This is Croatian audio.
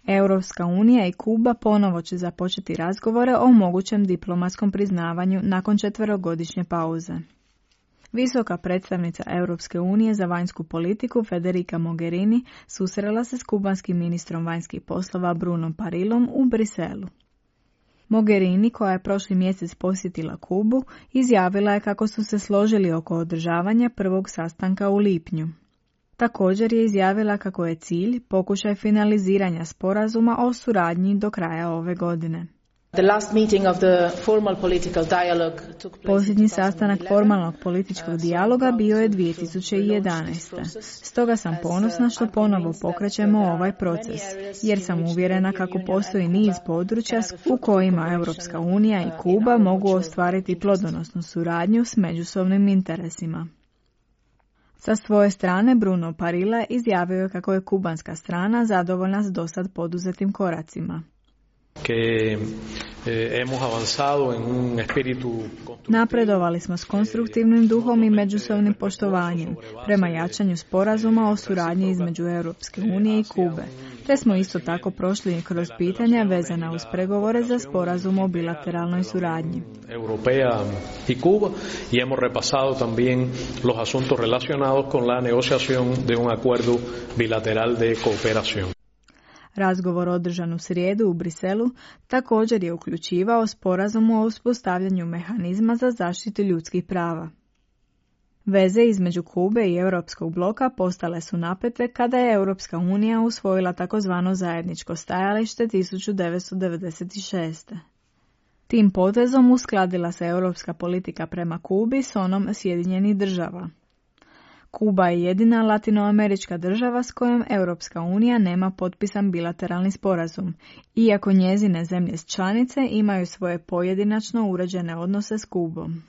Europska unija i Kuba ponovo će započeti razgovore o mogućem diplomatskom priznavanju nakon 4-godišnje pauze. Visoka predstavnica Europske unije za vanjsku politiku Federica Mogherini susrela se s kubanskim ministrom vanjskih poslova Brunom Parillom u Briselu. Mogherini, koja je prošli mjesec posjetila Kubu, izjavila je kako su se složili oko održavanja prvog sastanka u lipnju. Također je izjavila kako je cilj pokušaj finaliziranja sporazuma o suradnji do kraja ove godine. Posljednji sastanak formalnog političkog dijaloga bio je 2011. Stoga sam ponosna što ponovo pokrećemo ovaj proces, jer sam uvjerena kako postoji niz područja u kojima Europska unija i Kuba mogu ostvariti plodonosnu suradnju s međusobnim interesima. Sa svoje strane Bruno Parilla izjavio je kako je kubanska strana zadovoljna s dosad poduzetim koracima. Napredovali smo s konstruktivnim duhom i međusobnim poštovanjem prema jačanju sporazuma o suradnji između Europske unije i Kube, te smo isto tako prošli kroz pitanja vezana uz pregovore za sporazum o bilateralnoj suradnji. Europea y Cuba y hemos repasado también los asuntos relacionados con la negociación de un acuerdo bilateral de cooperación. Razgovor održan u srijedu u Briselu također je uključivao sporazum o uspostavljanju mehanizma za zaštitu ljudskih prava. Veze između Kube i Europskog bloka postale su napete kada je Europska unija usvojila takozvano zajedničko stajalište 1996. Tim potezom uskladila se europska politika prema Kubi s onom Sjedinjenih država. Kuba je jedina latinoamerička država s kojom Europska unija nema potpisan bilateralni sporazum, iako njezine zemlje članice imaju svoje pojedinačno uređene odnose s Kubom.